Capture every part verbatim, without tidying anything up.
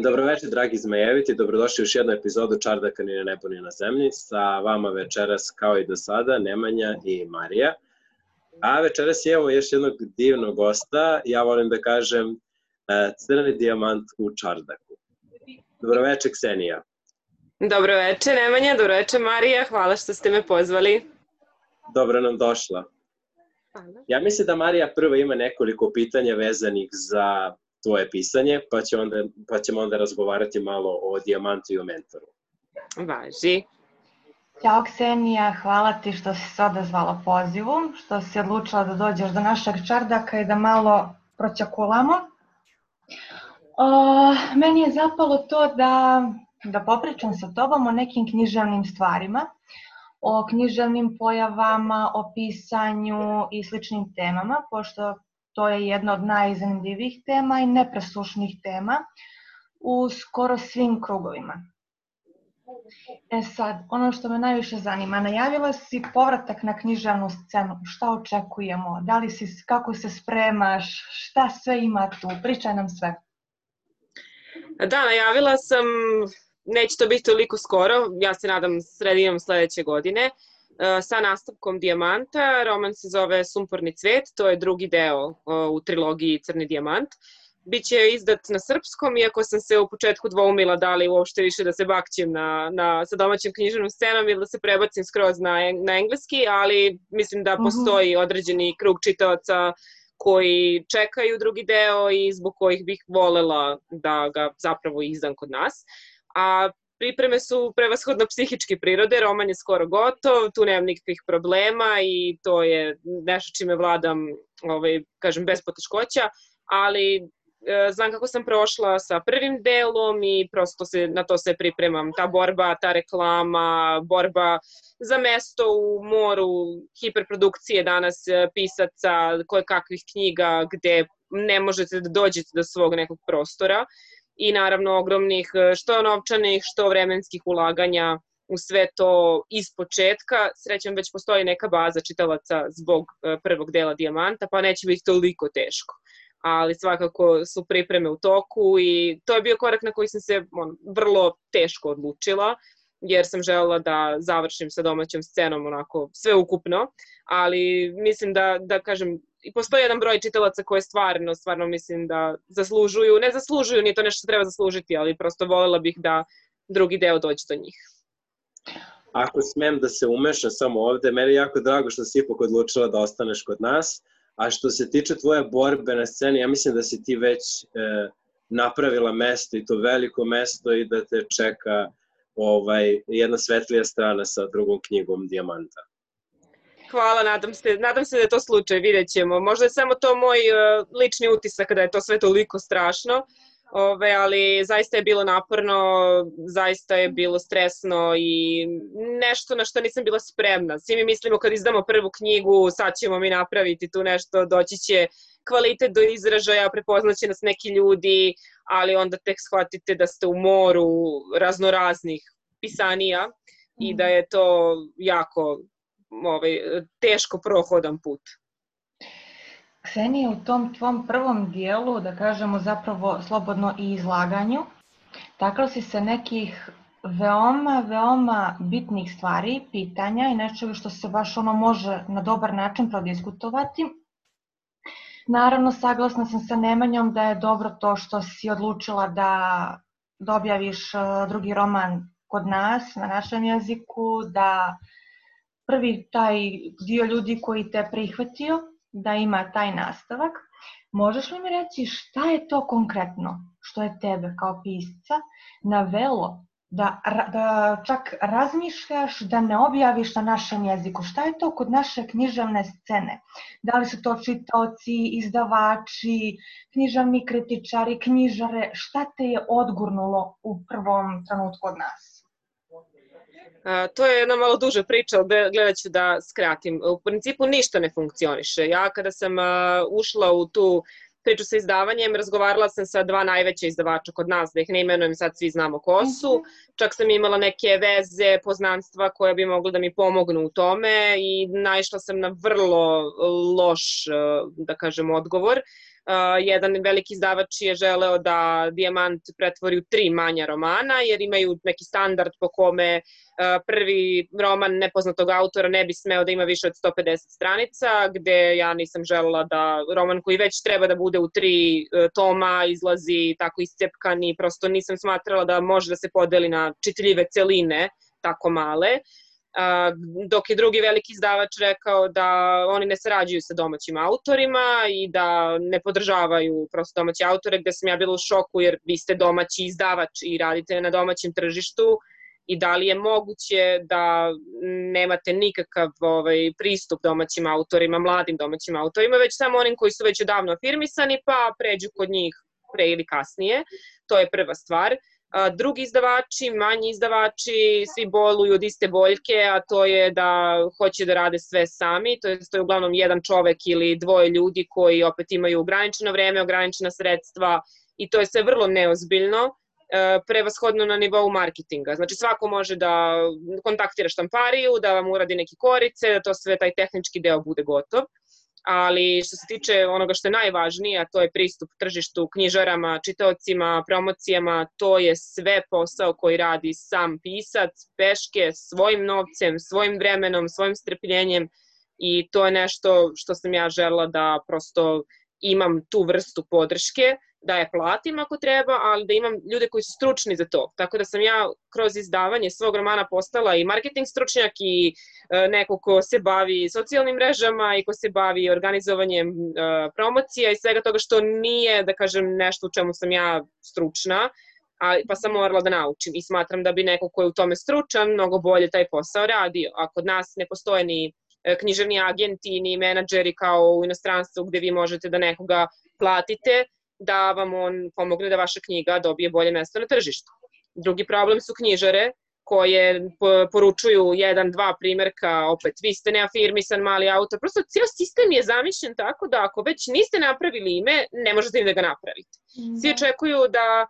Dobroveče, dragi zmajeviti, dobrodošli u još jednu epizodu Čardaka ni na nebu ni na zemlji. Sa vama večeras, kao i do sada, Nemanja i Marija. A večeras imamo još jednog divnog gosta, ja volim da kažem crni dijamant u Čardaku. Dobroveče, Ksenija. Dobroveče, Nemanja, dobroveče, Marija, hvala što ste me pozvali. Dobro nam došla. Ja mislim da Marija prva ima nekoliko pitanja vezanih za tvoje pisanje, pa, će onda, pa ćemo onda razgovarati malo o Dijamantu i o mentoru. Važi. Ćao Ksenija, hvala ti što si se odazvala pozivu, što si odlučila da dođeš do našeg Čardaka i da malo proćakulamo. O, meni je zapalo to da, da popričam sa tobom o nekim književnim stvarima, o književnim pojavama, o pisanju i sličnim temama, pošto to je jedna od najzanimljivijih tema i nepresušnih tema u skoro svim krugovima. E sad, ono što me najviše zanima, najavila si povratak na književnu scenu, šta očekujemo, da li si, kako se spremaš, šta sve ima tu, pričaj nam sve. Da, najavila sam, neće to biti toliko skoro, ja se nadam sredinom sledeće godine, sa nastavkom Dijamanta. Roman se zove Sumporni cvet, to je drugi deo u trilogiji Crni dijamant. Biće izdat na srpskom, iako sam se u početku dvoumila da li uopšte više da se bakćem na, na, sa domaćim književnom scenom ili da se prebacim skroz na, na engleski, ali mislim da postoji određeni krug čitaoca koji čekaju drugi deo i zbog kojih bih volela da ga zapravo izdam kod nas. A pripreme su prevashodno psihičke prirode, roman je skoro gotov, tu nemam nikakvih problema i to je nešto čime vladam, ovaj, kažem, bez poteškoća, ali e, znam kako sam prošla sa prvim delom i prosto se, na to se pripremam. Ta borba, ta reklama, borba za mesto u moru, hiperprodukcije danas pisaca, koje kakvih knjiga gde ne možete da dođete do svog nekog prostora. I naravno ogromnih što novčanih, što vremenskih ulaganja u sve to iz početka. Srećom već postoji neka baza čitalaca zbog prvog dela Dijamanta, pa neće biti toliko teško. Ali svakako su pripreme u toku i to je bio korak na koji sam se on, vrlo teško odlučila, jer sam želela da završim sa domaćom scenom onako sveukupno, ali mislim da, da kažem, i postoji jedan broj čitalaca koje stvarno, stvarno mislim da zaslužuju, ne zaslužuju, nije to nešto što treba zaslužiti, ali prosto volela bih da drugi deo dođe do njih. Ako smem da se umešam samo ovde, meni je jako drago što si ipak odlučila da ostaneš kod nas, a što se tiče tvoje borbe na sceni, ja mislim da si ti već e, napravila mesto i to veliko mesto i da te čeka ovaj, jedna svetlija strana sa drugom knjigom Dijamanta. Hvala, nadam se, nadam se da je to slučaj, vidjet ćemo. Možda je samo to moj uh, lični utisak da je to sve toliko strašno, ove, ali zaista je bilo naporno, zaista je bilo stresno i nešto na što nisam bila spremna. Svi mi mislimo kad izdamo prvu knjigu, sad ćemo mi napraviti tu nešto, doći će kvalitet do izražaja, prepoznaće nas neki ljudi, ali onda tek shvatite da ste u moru raznoraznih pisanija i da je to jako ovaj, teško prohodan put. Ksenija, u tom tvom prvom dijelu, da kažemo zapravo slobodno i izlaganju, takla si se nekih veoma, veoma bitnih stvari, pitanja i nečega što se baš ono može na dobar način prodiskutovati. Naravno, saglasna sam sa Nemanjom da je dobro to što si odlučila da objaviš drugi roman kod nas, na našem jeziku, da prvi taj dio ljudi koji te prihvatio, da ima taj nastavak. Možeš li mi reći šta je to konkretno što je tebe kao pisca navelo da, da čak razmišljaš da ne objaviš na našem jeziku? Šta je to kod naše književne scene? Da li su to čitaoci, izdavači, književni kritičari, knjižare? Šta te je odgurnulo u prvom trenutku od nas? Uh, to je jedna malo duža priča, ali gledat ću da skratim. U principu ništa ne funkcioniše. Ja kada sam uh, ušla u tu priču sa izdavanjem, razgovarala sam sa dva najveća izdavača kod nas, da ih ne imenujem, sad svi znamo ko su. Čak sam imala neke veze, poznanstva koje bi mogli da mi pomognu u tome i naišla sam na vrlo loš, da kažem, odgovor. jedan veliki izdavač je želeo da Dijamant pretvori u tri manja romana, jer imaju neki standard po kome prvi roman nepoznatog autora ne bi smeo da ima više od sto pedeset stranica, gde ja nisam želela da roman koji već treba da bude u tri toma izlazi tako iscepkan i prosto nisam smatrala da može da se podeli na čitljive celine tako male. Dok je drugi veliki izdavač rekao da oni ne sarađuju sa domaćim autorima i da ne podržavaju prosto domaće autore, gde sam ja bila u šoku jer vi ste domaći izdavač i radite na domaćem tržištu i da li je moguće da nemate nikakav ovaj, pristup domaćim autorima, mladim domaćim autorima, već samo onim koji su već odavno afirmisani pa pređu kod njih pre ili kasnije. To je prva stvar. Drugi izdavači, manji izdavači, svi boluju od iste boljke, a to je da hoće da rade sve sami, to je, to je uglavnom jedan čovek ili dvoje ljudi koji opet imaju ograničeno vreme, ograničena sredstva i to je sve vrlo neozbiljno, prevashodno na nivou marketinga. Znači svako može da kontaktira štampariju, da vam uradi neke korice, da to sve taj tehnički deo bude gotov. Ali što se tiče onoga što je najvažnije, a to je pristup tržištu, knjižarama, čitaocima, promocijama, to je sve posao koji radi sam pisac, peške, svojim novcem, svojim vremenom, svojim strpljenjem i to je nešto što sam ja želela da prosto imam tu vrstu podrške, da je platim ako treba, ali da imam ljude koji su stručni za to. Tako da sam ja kroz izdavanje svog romana postala i marketing stručnjak i neko ko se bavi socijalnim mrežama i ko se bavi organizovanjem promocija i svega toga što nije, da kažem, nešto u čemu sam ja stručna, pa sam morala da naučim i smatram da bi neko ko je u tome stručan mnogo bolje taj posao radio. A kod nas ne postoje ni književni agenti, ni menadžeri kao u inostranstvu gde vi možete da nekoga platite da vam on pomogne da vaša knjiga dobije bolje mesto na tržištu. Drugi problem su knjižare koje poručuju jedan, dva primjerka, opet vi ste neafirmisan mali autor. Prosto cijel sistem je zamišljen tako da ako već niste napravili ime, ne možete ni da ga napravite. Svi očekuju da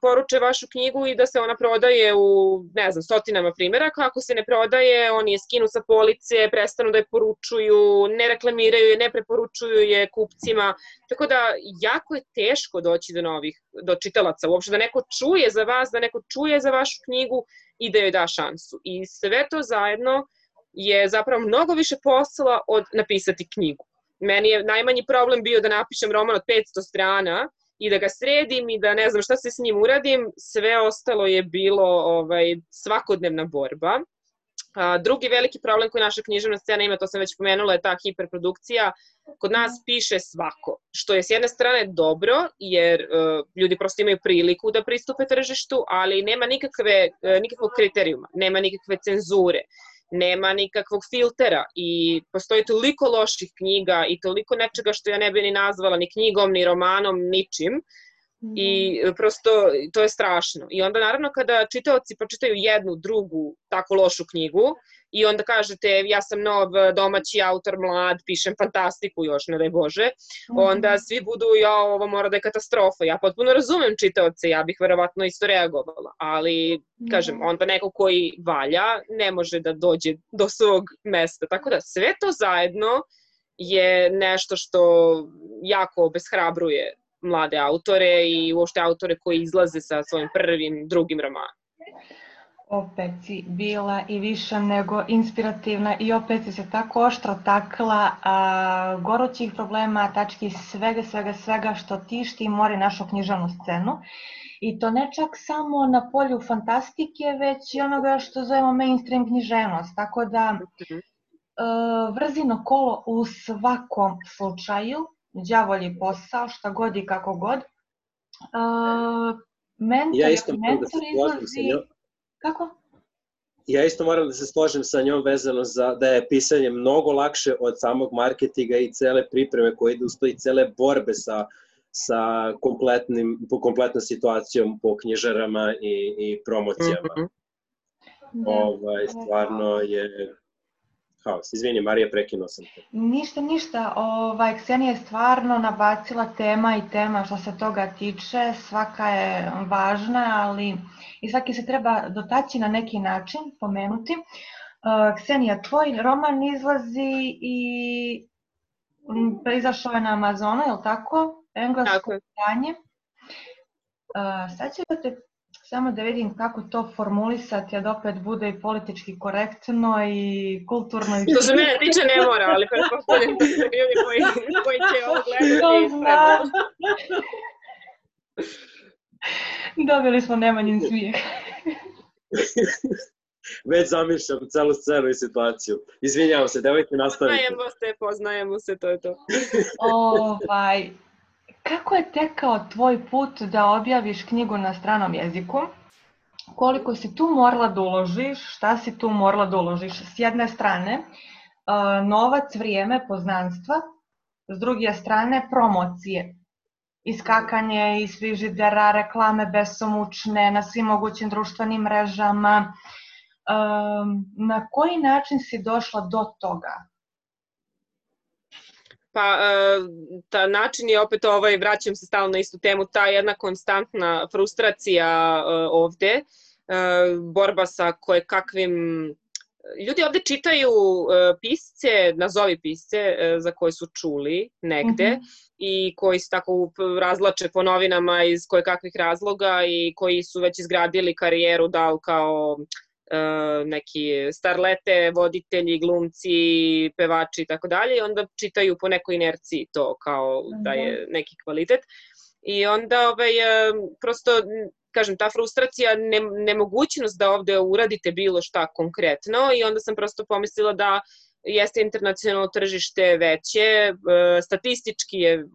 poruče vašu knjigu i da se ona prodaje u, ne znam, stotinama primjeraka. Ako se ne prodaje, oni je skinu sa police, prestanu da je poručuju, ne reklamiraju je, ne preporučuju je kupcima. Tako da jako je teško doći do novih, do čitalaca, uopšte da neko čuje za vas, da neko čuje za vašu knjigu i da joj da šansu. I sve to zajedno je zapravo mnogo više posla od napisati knjigu. Meni je najmanji problem bio da napišem roman od petsto strana i da ga sredim i da ne znam šta se s njim uradim, sve ostalo je bilo ovaj, svakodnevna borba. A, drugi veliki problem koji naša književna scena ima, to sam već pomenula, je ta hiperprodukcija. Kod nas piše svako, što je s jedne strane dobro, jer uh, ljudi prosto imaju priliku da pristupe tržištu, ali nema nikakve, uh, nikakvog kriterijuma, nema nikakve cenzure, nema nikakvog filtera i postoji toliko loših knjiga i toliko nečega što ja ne bi ni nazvala ni knjigom, ni romanom, ničim. I prosto to je strašno. I onda naravno kada čitaoci pročitaju jednu, drugu tako lošu knjigu i onda kažete ja sam nov domaći autor, mlad, pišem fantastiku još, ne daj Bože, onda svi budu ja ovo mora da je katastrofa. Ja potpuno razumem čitaoce, ja bih verovatno isto reagovala, ali kažem, onda neko koji valja ne može da dođe do svog mesta. Tako da sve to zajedno je nešto što jako obeshrabruje mlade autore i uopšte autore koji izlaze sa svojim prvim, drugim romanom. Opet si bila i više nego inspirativna i opet si se tako oštro takla a, gorućih problema, tački svega, svega, svega što tišti i mori našu književnu scenu. I to ne čak samo na polju fantastike, već i onoga što zovemo mainstream književnost. Tako da a, vrzino kolo u svakom slučaju, đavolji posao, šta god i kako god. Uh, mentor, ja isto mentor izlazi... Kako? Ja isto moram da se složim sa njom vezano za da je pisanje mnogo lakše od samog marketinga i cele pripreme koje ide ustoji cele borbe sa, sa kompletnim, kompletnom situacijom po knjižarama i, i promocijama. Mm-hmm. Ovaj, stvarno je... Haos. Izvini, Marija, prekinuo sam te. Ništa, ništa. Ovaj, Ksenija je stvarno nabacila tema i tema što se toga tiče. Svaka je važna, ali i svaki se treba dotaći na neki način, pomenuti. Uh, Ksenija, tvoj roman izlazi i izašao je na Amazonu, je li tako? englesko pitanje. Uh, sad ću da te samo da vidim kako to formulisati, a da opet bude i politički korektno i kulturno. Što se mene tiče ne mora, ali pretpostavljam da su ljudi koji, koji će ovo gledati ispravno. Dobili smo Nemanjin smijeh. Već zamišljam celu scenu i situaciju. Izvinjavam se, devojke, nastavite. Poznajemo se, poznajemo se, to je to. Ovaj, kako je tekao tvoj put da objaviš knjigu na stranom jeziku? Koliko si tu morala da uložiš? Šta si tu morala da uložiš? S jedne strane, novac, vrijeme, poznanstva. S druge strane, promocije. Iskakanje iz frižidera, reklame besomučne na svim mogućim društvenim mrežama. Na koji način si došla do toga? Pa, ta način je opet ovaj, vraćam se stalno na istu temu, ta jedna konstantna frustracija ovde, borba sa koje kakvim... Ljudi ovde čitaju pisce, nazovi pisce za koje su čuli negde mm-hmm. i koji se tako razlače po novinama iz koje kakvih razloga i koji su već izgradili karijeru da kao neki starlete, voditelji, glumci, pevači i tako dalje i onda čitaju po nekoj inerciji to kao da je neki kvalitet. I onda ovaj, prosto, kažem, ta frustracija, ne, nemogućnost da ovde uradite bilo šta konkretno i onda sam prosto pomislila da jeste internacionalno tržište veće, statistički je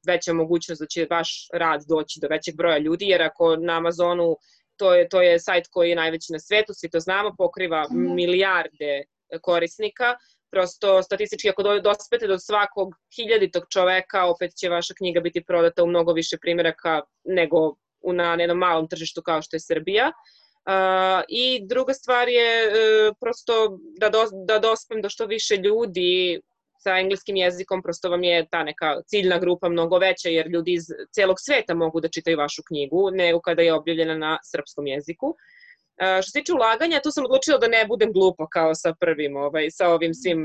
veća mogućnost da će vaš rad doći do većeg broja ljudi, jer ako na Amazonu To je, to je sajt koji je najveći na svetu, svi to znamo, pokriva milijarde korisnika. Prosto statistički ako dospete do svakog hiljaditog čoveka, opet će vaša knjiga biti prodata u mnogo više primjeraka nego na jednom malom tržištu kao što je Srbija. Uh, I druga stvar je uh, prosto da, do, da dospem do što više ljudi sa engleskim jezikom, prosto vam je ta neka ciljna grupa mnogo veća, jer ljudi iz celog sveta mogu da čitaju vašu knjigu, nego kada je objavljena na srpskom jeziku. Uh, što se tiče ulaganja, tu sam odlučila da ne budem glupa kao sa prvim, ovaj, sa ovim svim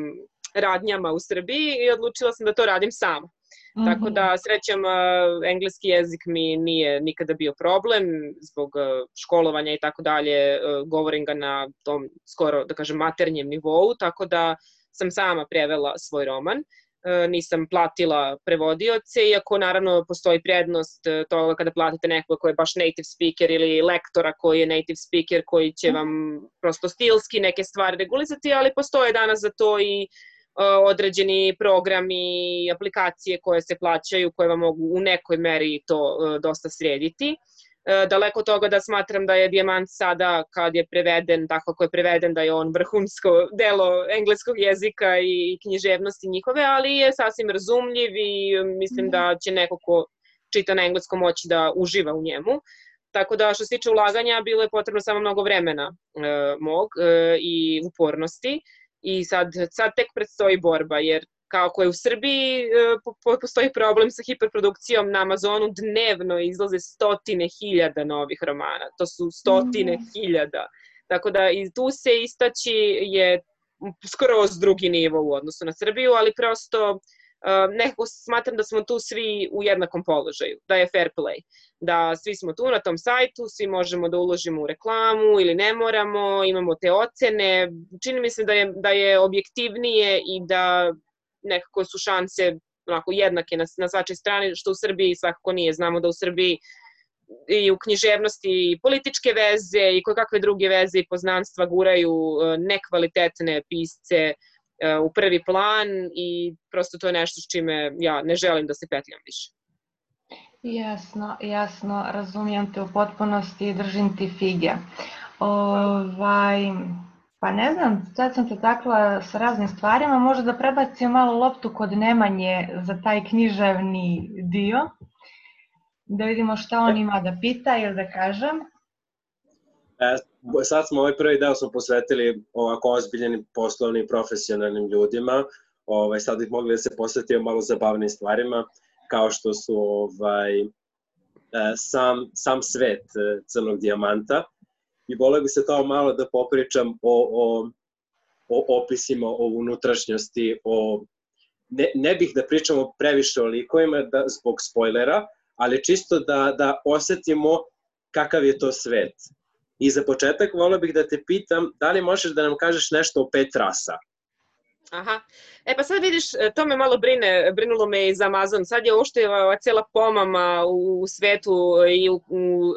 radnjama u Srbiji i odlučila sam da to radim sama. Mm-hmm. Tako da, srećem, uh, engleski jezik mi nije nikada bio problem, zbog uh, školovanja i tako dalje, uh, govorim ga na tom skoro, da kažem, maternjem nivou, tako da sam sama prevela svoj roman, nisam platila prevodioce, iako naravno postoji prednost toga kada platite nekoga koji je baš native speaker ili lektora koji je native speaker koji će vam prosto stilski neke stvari regulizati, ali postoje danas za to i određeni programi i aplikacije koje se plaćaju, koje vam mogu u nekoj meri to dosta srediti. Daleko od toga da smatram da je Dijamant sada, kad je preveden, tako kako je preveden, da je on vrhunsko delo engleskog jezika i književnosti njihove, ali je sasvim razumljiv i mislim da će neko ko čita na engleskom moći da uživa u njemu. Tako da što se tiče ulaganja, bilo je potrebno samo mnogo vremena e, mog e, i upornosti i sad, sad tek predstoji borba, jer kako je u Srbiji postoji problem sa hiperprodukcijom, na Amazonu dnevno izlaze stotine hiljada novih romana. To su stotine hiljada. Tako da i tu se istaći je skroz drugi nivo u odnosu na Srbiju, ali prosto nekako smatram da smo tu svi u jednakom položaju, da je fair play. Da svi smo tu na tom sajtu, svi možemo da uložimo u reklamu ili ne moramo, imamo te ocene. Čini mi se da je, da je objektivnije i da nekako su šanse onako jednake na, na svačoj strani, što u Srbiji svakako nije. Znamo da u Srbiji i u književnosti i političke veze i koje kakve druge veze i poznanstva guraju nekvalitetne pisce u prvi plan i prosto to je nešto s čime ja ne želim da se petljam više. Jasno, jasno, razumijem te u potpunosti i držim ti fige. Ovaj... Pa ne znam, sad sam te takla sa raznim stvarima, možda da prebacim malo loptu kod Nemanje za taj književni dio, da vidimo šta on ima da pita ili da kažem. E, sad smo ovaj prvi deo smo posvetili ovako ozbiljnim poslovnim, profesionalnim ljudima, ovaj, sad bih mogli da se posvetimo malo zabavnim stvarima, kao što su ovaj, sam, sam svet Crnog dijamanta. I voleo bih se kao malo da popričam o, o, o opisima, o unutrašnjosti, o ne, ne bih da pričamo previše o likovima da, zbog spoilera, ali čisto da, da osetimo kakav je to svet. I za početak volio bih da te pitam da li možeš da nam kažeš nešto o pet rasa? Aha. E pa sad vidiš, to me malo brine, brinulo me i za Amazon. Sad je uopšte ova cijela pomama u svetu i u, u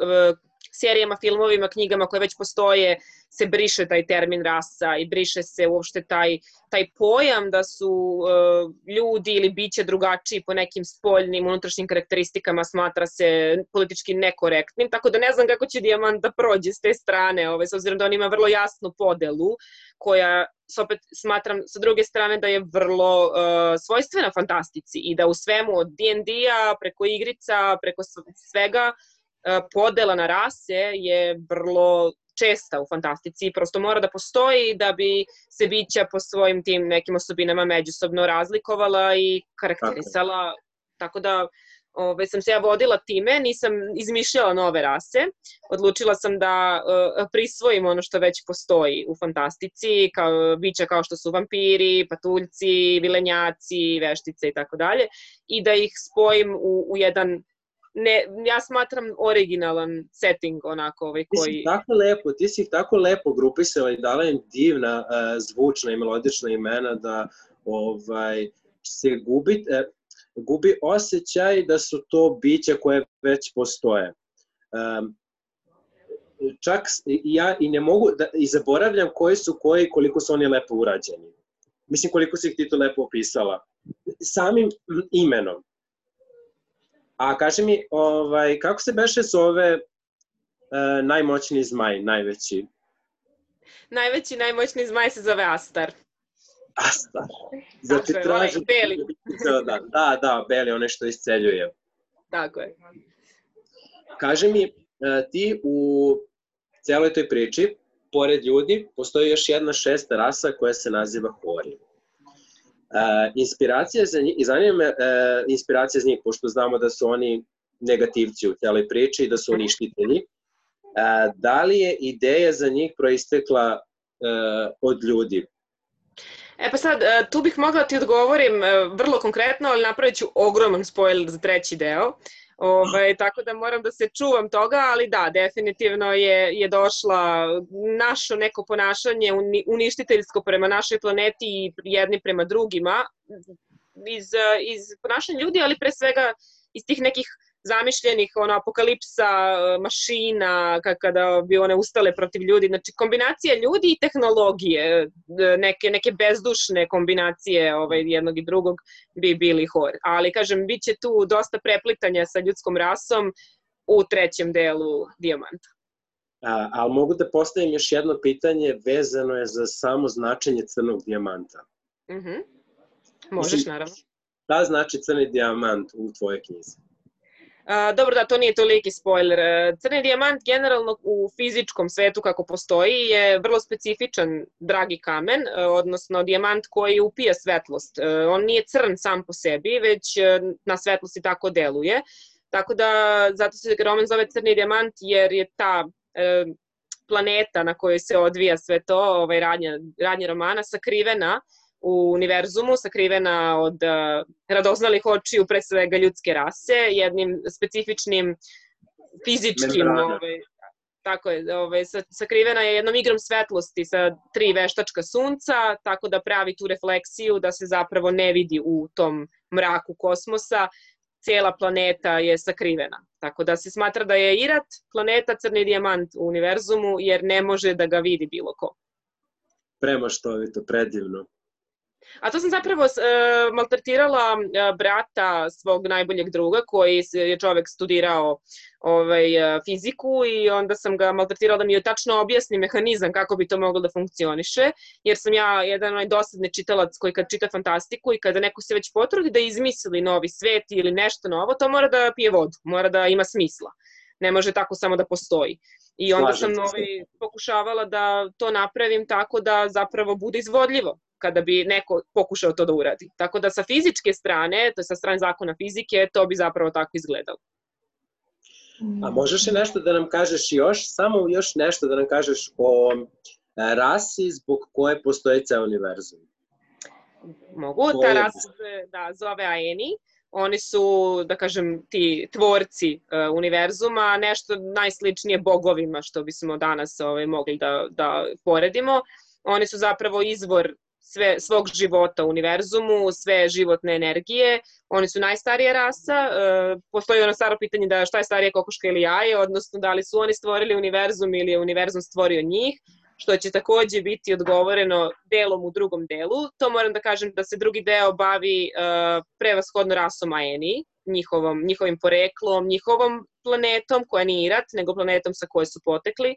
serijama, filmovima, knjigama koje već postoje, se briše taj termin rasa i briše se uopšte taj, taj pojam da su uh, ljudi ili biće drugačiji po nekim spoljnim, unutrašnjim karakteristikama, smatra se politički nekorektnim, tako da ne znam kako će Dijamant da prođe s te strane, ovaj, s obzirom da on ima vrlo jasnu podelu, koja opet smatram sa druge strane da je vrlo uh, svojstvena fantastici i da u svemu od D and D-a preko igrica, preko svega, podela na rase je vrlo česta u fantastici i prosto mora da postoji da bi se bića po svojim tim nekim osobinama međusobno razlikovala i karakterisala. Tako da ove, sam se ja vodila time, nisam izmišljala nove rase, odlučila sam da uh, prisvojim ono što već postoji u fantastici, kao bića kao što su vampiri, patuljci, vilenjaci, veštice i tako dalje, i da ih spojim u, u jedan Ne, ja smatram originalan setting onako ovaj koji... Ti si tako lepo, ti si ih tako lepo grupisala i dala im divna uh, zvučna i melodična imena da ovaj, se gubi, uh, gubi osjećaj da su to bića koje već postoje. Um, čak ja i ne mogu da, i zaboravljam koji su koji, koliko su oni lepo urađeni. Mislim koliko si ih ti to lepo opisala. Samim imenom. A kaži mi, ovaj, kako se beše zove uh, najmoćniji zmaj, najveći? Najveći, najmoćniji zmaj se zove Astar. Astar. Znači, je, traži... Beli. Da, da, da, Beli, onaj što isceljuje. Tako je. Kaži mi, uh, ti u celoj toj priči, pored ljudi, postoji još jedna šesta rasa koja se naziva Hori. Uh, inspiracija za njih, i zanima me uh, inspiracija za njih, pošto znamo da su oni negativci u celoj priči i da su uništitelji. Uh, da li je ideja za njih proistekla uh, od ljudi? E pa sad, tu bih mogla ti odgovorim vrlo konkretno, ali napravit ću ogroman spoiler za treći deo. Ove, tako da moram da se čuvam toga, ali da, definitivno je, je došla naše neko ponašanje uništiteljsko prema našoj planeti i jedni prema drugima iz, iz ponašanja ljudi, ali pre svega iz tih nekih zamišljenih ono, apokalipsa mašina, kada bi one ustale protiv ljudi. Znači, kombinacija ljudi i tehnologije, neke, neke bezdušne kombinacije ovaj, jednog i drugog bi bili Hor. Ali, kažem, bit će tu dosta preplitanja sa ljudskom rasom u trećem delu Dijamanta. A, ali mogu da postavim još jedno pitanje, vezano je za samo značenje crnog dijamanta. Mm-hmm. Možeš, Mislim, naravno. Šta znači crni dijamant u tvojoj knjizi? Uh, dobro, da, to nije toliki spoiler. Crni dijamant generalno u fizičkom svetu kako postoji je vrlo specifičan dragi kamen, uh, odnosno dijamant koji upija svetlost. Uh, on nije crn sam po sebi, već uh, na svetlosti tako deluje. Tako da, zato se roman zove crni dijamant jer je ta uh, planeta na kojoj se odvija sve to, ovaj, radnja, radnja romana, sakrivena u univerzumu, sakrivena od uh, radoznalih očiju pre svega ljudske rase, jednim specifičnim fizičkim, ovaj, tako je, ovaj, sakrivena je jednom igrom svetlosti sa tri veštačka sunca, tako da pravi tu refleksiju da se zapravo ne vidi u tom mraku kosmosa, cijela planeta je sakrivena. Tako da se smatra da je Irat planeta crni dijamant u univerzumu jer ne može da ga vidi bilo ko. Premaštovito, predivno. A to sam zapravo uh, maltretirala uh, brata svog najboljeg druga koji je čovek studirao ovaj, uh, fiziku i onda sam ga maltretirala da mi je tačno objasni mehanizam kako bi to moglo da funkcioniše, jer sam ja jedan onaj dosadni čitalac koji kad čita fantastiku i kada neko se već potrudi da izmisli novi svet ili nešto novo, to mora da pije vodu, mora da ima smisla. Ne može tako samo da postoji. I onda sam ovaj, pokušavala da to napravim tako da zapravo bude izvodljivo kada bi neko pokušao to da uradi. Tako da sa fizičke strane, to je sa strane zakona fizike, to bi zapravo tako izgledalo. A možeš li nešto da nam kažeš još, samo još nešto da nam kažeš o rasi zbog koje postoji ceo univerzum? Mogu, To ta je- rasa se da, zove Aeni. Oni su, da kažem, ti tvorci uh, univerzuma, nešto najsličnije bogovima što bismo danas ovaj, mogli da, da poredimo. Oni su zapravo izvor sve, svog života u univerzumu, sve životne energije. Oni su najstarija rasa. Uh, postoji ono staro pitanje da šta je starije, kokoška ili jaje, odnosno da li su oni stvorili univerzum ili je univerzum stvorio njih, što će takođe biti odgovoreno delom u drugom delu. To moram da kažem da se drugi deo bavi uh, prevashodno rasom Aeni, njihovom, njihovim poreklom, njihovom planetom koja nije Irat, nego planetom sa koje su potekli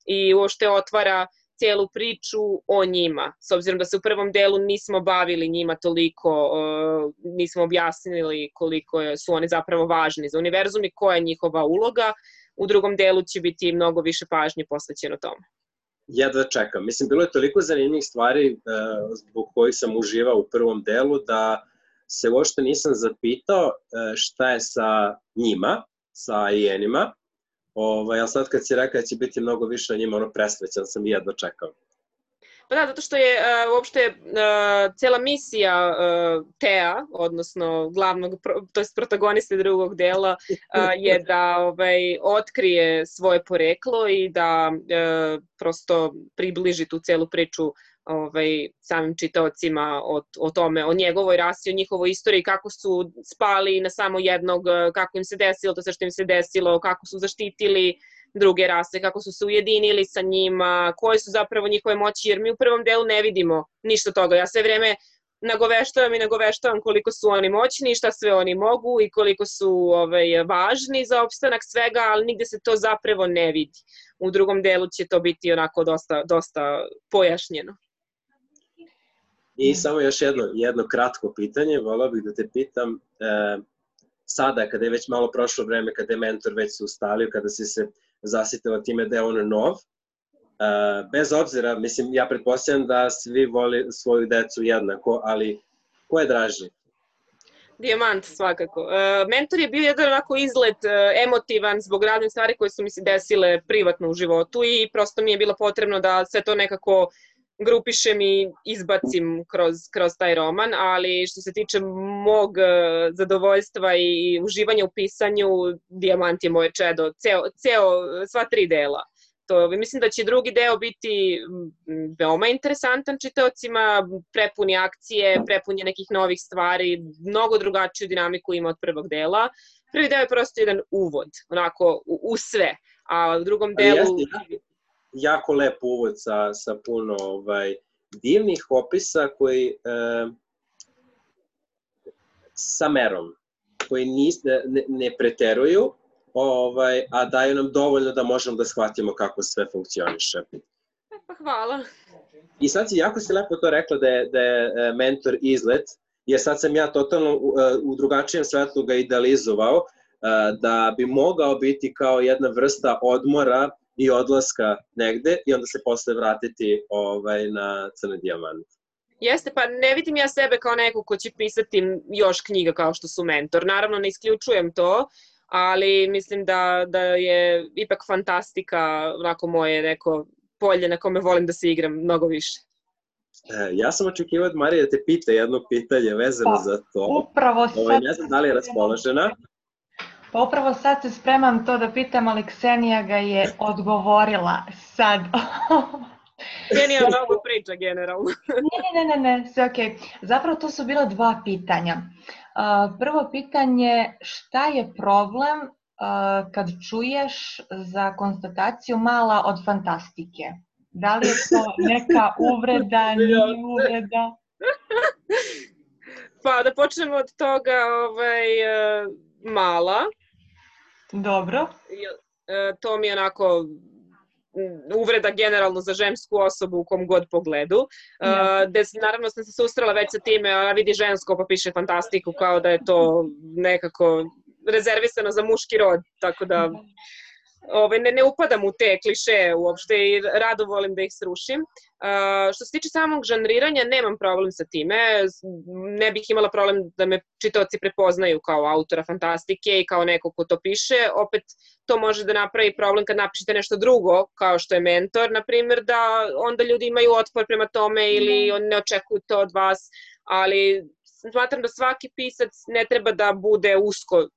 i uopšte otvara cijelu priču o njima. S obzirom da se u prvom delu nismo bavili njima toliko, uh, nismo objasnili koliko su oni zapravo važni za univerzum i koja je njihova uloga, u drugom delu će biti mnogo više pažnje posvećeno tome. Jedva čekam. Mislim, bilo je toliko zanimljivih stvari uh, zbog kojih sam uživao u prvom delu da se uopšte nisam zapitao uh, šta je sa njima, sa Aenima. Ovaj, ali sad kad si rekao da će biti mnogo više o njima, ono presrećan sam i jedva čekam. Pa da, zato što je uh, uopšte uh, cela misija uh, Thea, odnosno glavnog, to je protagoniste drugog dela, uh, je da ovaj, otkrije svoje poreklo i da uh, prosto približi tu celu priču ovaj, samim čitaocima o, o tome, o njegovoj rasi, o njihovoj istoriji, kako su spali na samo jednog, kako im se desilo to sve što im se desilo, kako su zaštitili druge rase, kako su se ujedinili sa njima, koje su zapravo njihove moći, jer mi u prvom delu ne vidimo ništa toga. Ja sve vreme nagoveštavam i nagoveštavam koliko su oni moćni i šta sve oni mogu i koliko su ovaj, važni za opstanak svega, ali nigde se to zapravo ne vidi. U drugom delu će to biti onako dosta, dosta pojašnjeno. I samo još jedno, jedno kratko pitanje, volao bih da te pitam, e, sada kada je već malo prošlo vreme, kada je mentor već se ustalio, kada si se zasitila time da je on nov, e, bez obzira, mislim, ja pretpostavljam da svi voli svoju decu jednako, ali ko je draži? Dijamant, svakako. E, mentor je bio jedan onako izlet e, emotivan zbog raznih stvari koje su mi se desile privatno u životu i prosto mi je bilo potrebno da sve to nekako grupišem i izbacim kroz, kroz taj roman, ali što se tiče mog zadovoljstva i uživanja u pisanju, Dijamant je moje čedo, ceo, ceo, sva tri dela. To, mislim da će drugi deo biti veoma interesantan čitaocima, prepuni akcije, prepuni nekih novih stvari, mnogo drugačiju dinamiku ima od prvog dela. Prvi deo je prosto jedan uvod, onako, u, u sve, a u drugom delu... Jeste, jako lep uvod sa, sa puno ovaj, divnih opisa koji e, sa merom, koji nis, ne, ne preteruju, ovaj, a daju nam dovoljno da možemo da shvatimo kako sve funkcioniše. Pa hvala. I sad si jako si lepo to rekla da je, da je mentor izlet, jer sad sam ja totalno u, u drugačijem svetlu ga idealizovao, da bi mogao biti kao jedna vrsta odmora i odlaska negde i onda se posle vratiti ovaj, na Crni dijamant. Jeste, pa ne vidim ja sebe kao neko ko će pisati još knjiga kao što su Mentor. Naravno, ne isključujem to, ali mislim da, da je ipak fantastika onako moje neko polje na kome volim da se igram mnogo više. E, ja sam očekivao od Marije da te pita jedno pitanje vezano pa, za to. Upravo sad... Ovaj, ne znam da li je raspoložena. Pa upravo sad se spremam to da pitam, ali Ksenija ga je odgovorila sad. Ksenija mnogo priča generalno. ne, ne, ne, ne, sve okej. Okay. Zapravo to su bila dva pitanja. Uh, prvo pitanje, šta je problem uh, kad čuješ za konstataciju mala od fantastike? Da li je to neka uvreda, nije uvreda? Pa da počnemo od toga, ovaj, mala. Dobro. To mi je onako uvreda generalno za žensku osobu u kom god pogledu. Ja. Des, naravno sam se susrela već sa time, a vidi žensko pa piše fantastiku kao da je to nekako rezervisano za muški rod, tako da Ove, ne, ne upadam u te kliše uopšte i rado volim da ih srušim. Uh, što se tiče samog žanriranja, nemam problem sa time. Ne bih imala problem da me čitaoci prepoznaju kao autora fantastike i kao neko ko to piše. Opet, to može da napravi problem kad napišete nešto drugo, kao što je Mentor, na primjer, da onda ljudi imaju otpor prema tome ili on ne očekuju to od vas. ali smatram da svaki pisac ne treba da bude usko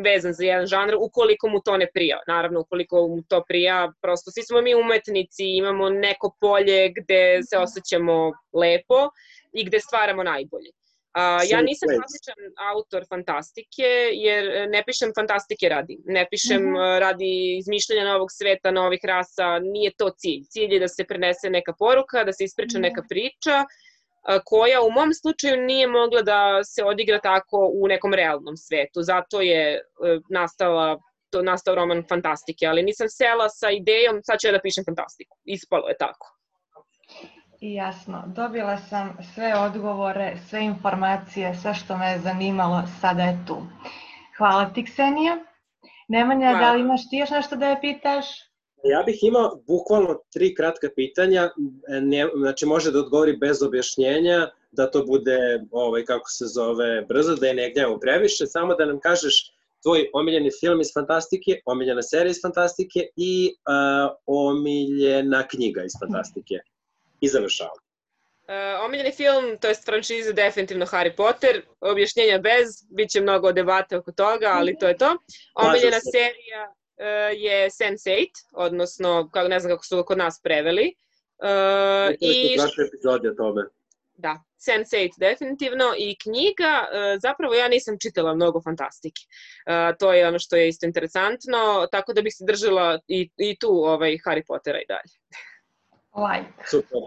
vezan za jedan žanr ukoliko mu to ne prija. Naravno, ukoliko mu to prija, prosto svi smo mi umetnici, imamo neko polje gde se osjećamo lepo i gde stvaramo najbolje. Uh, ja nisam klasičan autor fantastike, jer ne pišem fantastike radi. Ne pišem mm-hmm. radi izmišljanja novog sveta, novih rasa, nije to cilj. Cilj je da se prenese neka poruka, da se ispriča neka priča, uh, koja u mom slučaju nije mogla da se odigra tako u nekom realnom svetu. Zato je uh, nastala, to, nastao roman fantastike, ali nisam sela sa idejom, sad ću ja da pišem fantastiku. Ispalo je tako. Jasno, dobila sam sve odgovore, sve informacije, sve što me je zanimalo, sada je tu. Hvala ti, Ksenija. Nemanja, Hvala. Da li imaš ti još nešto da je pitaš? Ja bih imao bukvalno tri kratka pitanja, ne, znači može da odgovori bez objašnjenja, da to bude, ovaj, kako se zove, brzo, da je ne gnjavamo previše, samo da nam kažeš tvoj omiljeni film iz fantastike, omiljena serija iz fantastike i uh, omiljena knjiga iz fantastike. I završavam. Uh, omiljeni film, to je franšiza definitivno Harry Potter, objašnjenja bez, bit će mnogo debate oko toga, ali to je to. Omiljena serija uh, je sense eight, odnosno, ne znam kako su kod nas preveli. Uh, I prošle epizode o tome. Da, sense eight definitivno i knjiga, uh, zapravo ja nisam čitala mnogo fantastike. Uh, to je ono što je isto interesantno, tako da bih se držala i, i tu ovaj, Harry Pottera i dalje. Like. Super.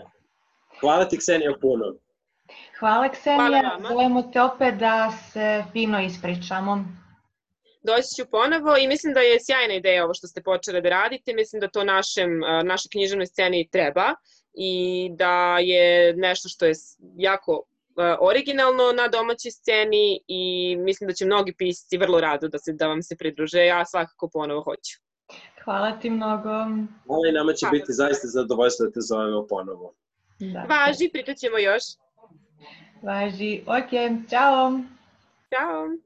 Hvala ti, Ksenija, puno. Hvala, Ksenija. Želimo te opet da se fino ispričamo. Doći ću ponovo i mislim da je sjajna ideja ovo što ste počeli da radite. Mislim da to našem, našoj književnoj sceni treba i da je nešto što je jako originalno na domaćoj sceni i mislim da će mnogi pisci vrlo rado da, se, da vam se pridruže. Ja svakako ponovo hoću. Hvala ti mnogo. Hvala i nama će Hvala. biti zaista zadovoljstvo da te zovemo ponovo. Da. Važi, pričat ćemo još. Važi, ok, čao. Ćao.